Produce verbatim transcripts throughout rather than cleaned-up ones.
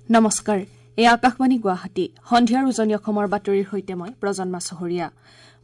নমস্কাৰ, এই আকাশবাণী গুৱাহাটী। সন্ধিয়াৰ উজনি অসমৰ বাতৰিৰ সৈতে মই প্ৰজন্মা চহৰীয়া।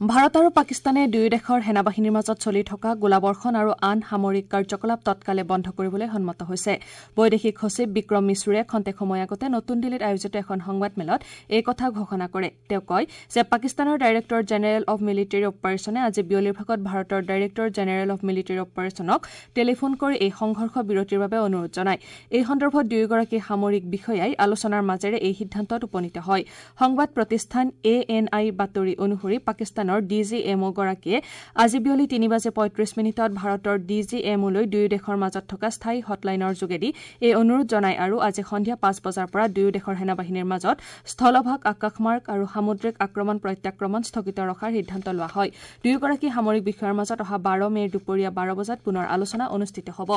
ভাৰত আৰু পাকিস্তানে দুয়ো দেশৰ সেনাবাহিনীৰ মাজত চলি থকা গোলাবৰ্ষণ আৰু আন সামৰিক কাৰ্যকলাপ তৎকালে বন্ধ কৰিবলৈ সন্মত হৈছে। বৈদেশিক সচিব বিক্ৰম মিশ্ৰুৰে খন্তেক সময় আগতে নতুন দিল্লীত আয়োজিত এখন সংবাদমেলত এই কথা ঘোষণা কৰে। তেওঁ কয় যে পাকিস্তানৰ ডাইৰেক্টৰ জেনেৰেল অৱ মিলিটেৰী অপাৰেশ্যনে আজি বিয়লিৰ ভাগত ভাৰতৰ ডাইৰেক্টৰ জেনেৰেল অৱ মিলিটেৰী অপাৰেশ্যনক টেলিফোন কৰি এই সংঘৰ্ষ বিৰতিৰ বাবে অনুৰোধ জনায়। এই সন্দৰ্ভত দুয়োগৰাকী সামৰিক বিষয়াই আলোচনাৰ মাজেৰে এই সিদ্ধান্তত উপনীত হয়। সংবাদ প্ৰতিষ্ঠান এ এন আইৰ বাতৰি অনুসৰি পাকিস্তানৰ ডি জি এম অ' গৰাকীয়ে আজি বিয়লি তিনি বাজি পঁয়ত্ৰিশ মিনিটত ভাৰতৰ ডি জি এম অ'লৈ দুয়ো দেশৰ মাজত থকা স্থায়ী হটলাইনৰ যোগেদি এই অনুৰোধ জনায় আৰু আজি সন্ধিয়া পাঁচ বজাৰ পৰা দুয়ো দেশৰ সেনাবাহিনীৰ মাজত স্থলভাগ, আকাশমাৰ্গ আৰু সামুদ্ৰিক আক্ৰমণ প্ৰত্যাক্ৰমণ স্থগিত ৰখাৰ সিদ্ধান্ত লোৱা হয়। দুয়োগৰাকী সামৰিক বিষয়াৰ মাজত অহা বাৰ মে'ৰ দুপৰীয়া বাৰ বজাত পুনৰ আলোচনা অনুষ্ঠিত হ'ব।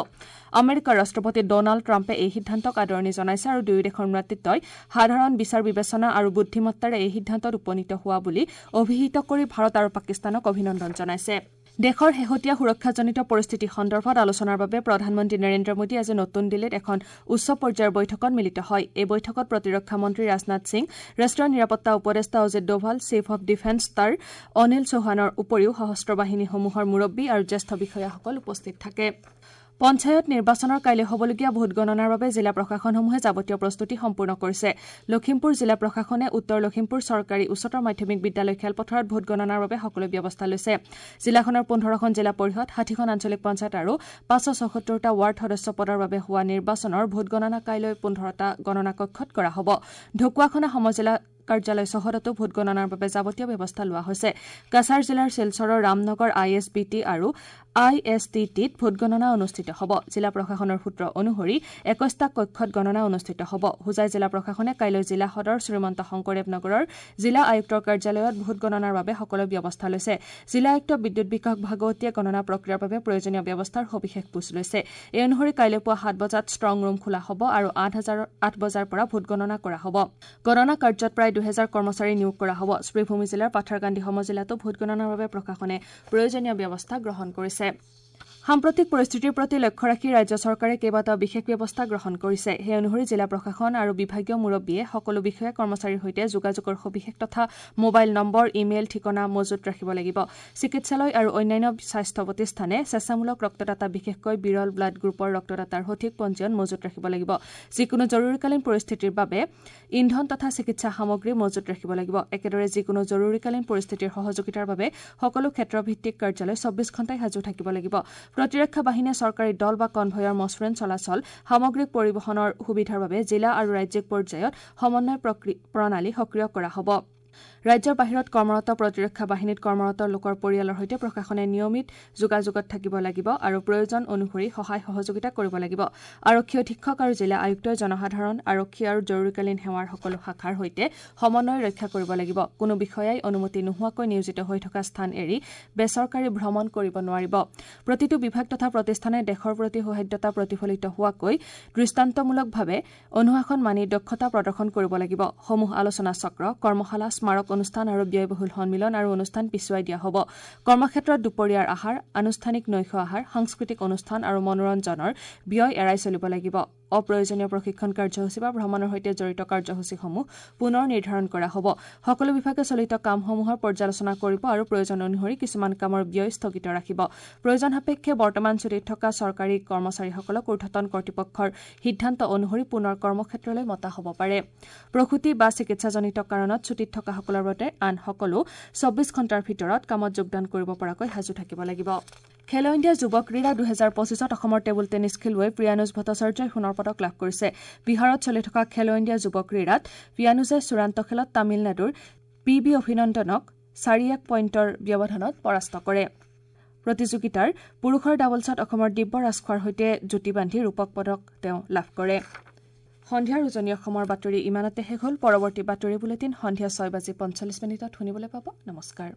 আমেৰিকাৰ ৰাষ্ট্ৰপতি ডনাল্ড ট্ৰাম্পে এই সিদ্ধান্তক আদৰণি জনাইছে আৰু দুয়ো দেশৰ নেতৃত্বই সাধাৰণ বিচাৰ বিবেচনা আৰু বুদ্ধিমত্তাৰে এই সিদ্ধান্তত উপনীত হোৱা বুলি অভিহিত কৰি ভাৰত আৰু পাকিস্তানক অভিনন্দন জনাইছে। দেশৰ শেহতীয়া সুৰক্ষাজনিত পৰিস্থিতি সন্দৰ্ভত আলোচনাৰ বাবে প্ৰধানমন্ত্ৰী নৰেন্দ্ৰ মোদী আজি নতুন দিল্লীত এখন উচ্চ পৰ্যায়ৰ বৈঠকত মিলিত হয়। এই বৈঠকত প্ৰতিৰক্ষা মন্ত্ৰী ৰাজনাথ সিং, ৰাষ্ট্ৰীয় নিৰাপত্তা উপদেষ্টা Ajit Doval, chief of defence staff Anil চৌহানৰ উপৰিও সশস্ত্ৰ বাহিনীসমূহৰ মুৰব্বী আৰু জ্যেষ্ঠ বিষয়াসকল উপস্থিত থাকে। পঞ্চায়ত নিৰ্বাচনৰ কাইলৈ হ'বলগীয়া ভোটগণনাৰ বাবে জিলা প্ৰশাসনসমূহে যাৱতীয় প্ৰস্তুতি সম্পূৰ্ণ কৰিছে। লখিমপুৰ জিলা প্ৰশাসনে উত্তৰ লখিমপুৰ চৰকাৰী উচ্চতৰ মাধ্যমিক বিদ্যালয় খেলপথাৰত ভোটগণনাৰ বাবে সকলো ব্যৱস্থা লৈছে। জিলাখনৰ পোন্ধৰখন জিলা পৰিষদ, ষাঠিখন আঞ্চলিক পঞ্চায়ত আৰু পাঁচশ ছসত্তৰটা ৱাৰ্ড সদস্য পদৰ বাবে হোৱা নিৰ্বাচনৰ ভোটগণনা কাইলৈ পোন্ধৰটা গণনা কক্ষত কৰা হ'ব। ঢকুৱাখনা সমজিলা কাৰ্যালয় চৌহদতো ভোটগণনাৰ বাবে যাৱতীয় ব্যৱস্থা লোৱা হৈছে। কাছাৰ জিলাৰ শিলচৰৰ Ramnagar I S B T আৰু I S T টিত ভোটগণনা অনুষ্ঠিত হ'ব। জিলা প্ৰশাসনৰ সূত্ৰ অনুসৰি একৈশটা কক্ষত গণনা অনুষ্ঠিত হ'ব। হোজাই জিলা প্ৰশাসনে কাইলৈ জিলা সদৰ শ্ৰীমন্ত শংকৰদেৱ নগৰৰ জিলা আয়ুক্তৰ কাৰ্যালয়ত ভোটগণনাৰ বাবে সকলো ব্যৱস্থা লৈছে। জিলা আয়ুক্ত বিদ্যুৎ বিকাশ ভাগৱতীয়ে গণনা প্ৰক্ৰিয়াৰ বাবে প্ৰয়োজনীয় ব্যৱস্থাৰ সবিশেষ বুজ লৈছে। এই অনুসৰি কাইলৈ পুৱা সাত বজাত ষ্ট্ৰং ৰুম খোলা হ'ব আৰু আঠ হাজাৰ আঠ বজাৰ পৰা ভোটগণনা কৰা হ'ব। গণনা কাৰ্যত প্ৰায় দুহেজাৰ কৰ্মচাৰী নিয়োগ কৰা হ'ব। শ্ৰীভূমি জিলাৰ পাথাৰকান্দি সমজিলাতো ভোটগণনাৰ বাবে প্ৰশাসনে প্ৰয়োজনীয় ব্যৱস্থা গ্ৰহণ কৰিছে। সাম্প্ৰতিক পৰিস্থিতিৰ প্ৰতি লক্ষ্য ৰাখি ৰাজ্য চৰকাৰে কেইবাটাও বিশেষ ব্যৱস্থা গ্ৰহণ কৰিছে। সেই অনুসৰি জিলা প্ৰশাসন আৰু বিভাগীয় মুৰব্বীয়ে সকলো বিষয়া কৰ্মচাৰীৰ সৈতে যোগাযোগৰ সবিশেষ তথা মোবাইল নম্বৰ, ইমেইল ঠিকনা মজুত ৰাখিব লাগিব। চিকিৎসালয় আৰু অন্যান্য স্বাস্থ্য প্ৰতিষ্ঠানে স্বেচ্ছামূলক ৰক্তদাতা, বিশেষকৈ বিৰল ব্লাড গ্ৰুপৰ ৰক্তদাতাৰ সঠিক পঞ্জীয়ন মজুত ৰাখিব লাগিব। যিকোনো জৰুৰীকালীন পৰিস্থিতিৰ বাবে ইন্ধন তথা চিকিৎসা সামগ্ৰী মজুত ৰাখিব লাগিব। একেদৰে যিকোনো জৰুৰীকালীন পৰিস্থিতিৰ সহযোগিতাৰ বাবে সকলো ক্ষেত্ৰভিত্তিক কাৰ্যালয় চৌব্বিছ ঘণ্টাই সাজু থাকিব লাগিব। প্ৰতিৰক্ষা বাহিনীয়ে চৰকাৰী দল বা কনভয়ৰ মসৃণ চলাচল, সামগ্ৰিক পৰিবহণৰ সুবিধাৰ বাবে জিলা আৰু ৰাজ্যিক পৰ্যায়ত সমন্বয় প্ৰণালী সক্ৰিয় কৰা হ'ব। ৰাজ্যৰ বাহিৰত কৰ্মৰত প্ৰতিৰক্ষা বাহিনীত কৰ্মৰত লোকৰ পৰিয়ালৰ সৈতে প্ৰশাসনে নিয়মিত যোগাযোগত থাকিব লাগিব আৰু প্ৰয়োজন অনুসৰি সহায় সহযোগিতা কৰিব লাগিব। আৰক্ষী অধীক্ষক আৰু জিলা আয়ুক্তই জনসাধাৰণ, আৰক্ষী আৰু জৰুৰীকালীন সেৱাৰ সকলো শাখাৰ সৈতে সমন্বয় ৰক্ষা কৰিব লাগিব। কোনো বিষয়াই অনুমতি নোহোৱাকৈ নিয়োজিত হৈ থকা স্থান এৰি বেচৰকাৰী ভ্ৰমণ কৰিব নোৱাৰিব। প্ৰতিটো বিভাগ তথা প্ৰতিষ্ঠানে দেশৰ প্ৰতি সৌহাৰ্দ্যতা প্ৰতিফলিত হোৱাকৈ দৃষ্টান্তমূলকভাৱে অনুশাসন মানি দক্ষতা প্ৰদৰ্শন কৰিব লাগিব। সমূহ আলোচনা চক্ৰ, কৰ্মশালা, স্মাৰক অনুষ্ঠান আৰু ব্যয়বহুল সন্মিলন আৰু অনুষ্ঠান পিছুৱাই দিয়া হ'ব। কৰ্মক্ষেত্ৰত দুপৰীয়াৰ আহাৰ, আনুষ্ঠানিক নৈশ আহাৰ, সাংস্কৃতিক অনুষ্ঠান আৰু মনোৰঞ্জনৰ ব্যয় এৰাই চলিব লাগিব। অপ্ৰয়োজনীয় প্ৰশিক্ষণ কাৰ্যসূচী বা ভ্ৰমণৰ সৈতে জড়িত কাৰ্যসূচীসমূহ পুনৰ নিৰ্ধাৰণ কৰা হ'ব। সকলো বিভাগে চলিত কামসমূহৰ পৰ্যালোচনা কৰিব আৰু প্ৰয়োজন অনুসৰি কিছুমান কামৰ ব্যয় স্থগিত ৰাখিব। প্ৰয়োজন সাপেক্ষে বৰ্তমান ছুটীত থকা চৰকাৰী কৰ্মচাৰীসকলক ঊৰ্ধতন কৰ্তৃপক্ষৰ সিদ্ধান্ত অনুসৰি পুনৰ কৰ্মক্ষেত্ৰলৈ মতা হ'ব পাৰে। প্ৰসূতি বা চিকিৎসাজনিত কাৰণত ছুটীত থকাসকলৰ বাবে আন সকলো চৌব্বিছ ঘণ্টাৰ ভিতৰত কামত যোগদান কৰিব পৰাকৈ সাজু থাকিব লাগিব। খেলো ইণ্ডিয়া যুৱ ক্ৰীড়া দুহেজাৰ পঁচিছত অসমৰ টেবুল টেনিছ খেলুৱৈ প্ৰিয়ানুজ ভট্টাচাৰ্যই সোণৰ পদক লাভ কৰিছে। বিহাৰত চলি থকা খেলো ইণ্ডিয়া যুৱ ক্ৰীড়াত প্ৰিয়ানুজে চূড়ান্ত খেলত তামিলনাডুৰ পি বি অভিনন্দনক চাৰি এক পইণ্টৰ ব্যৱধানত পৰাস্ত কৰে। প্ৰতিযোগিতাৰ পুৰুষৰ ডাবলছত অসমৰ দিব্য ৰাজখোৱাৰ সৈতে যুটি বান্ধি ৰূপক পদক তেওঁ লাভ কৰে। সন্ধিয়াৰ উজনি অসমৰ বাতৰি ইমানতে শেষ হ'ল। পৰৱৰ্তী বাতৰি বুলেটিন সন্ধিয়া ছয় বাজি পঞ্চল্লিছ মিনিটত শুনিবলৈ পাব। নমস্কাৰ।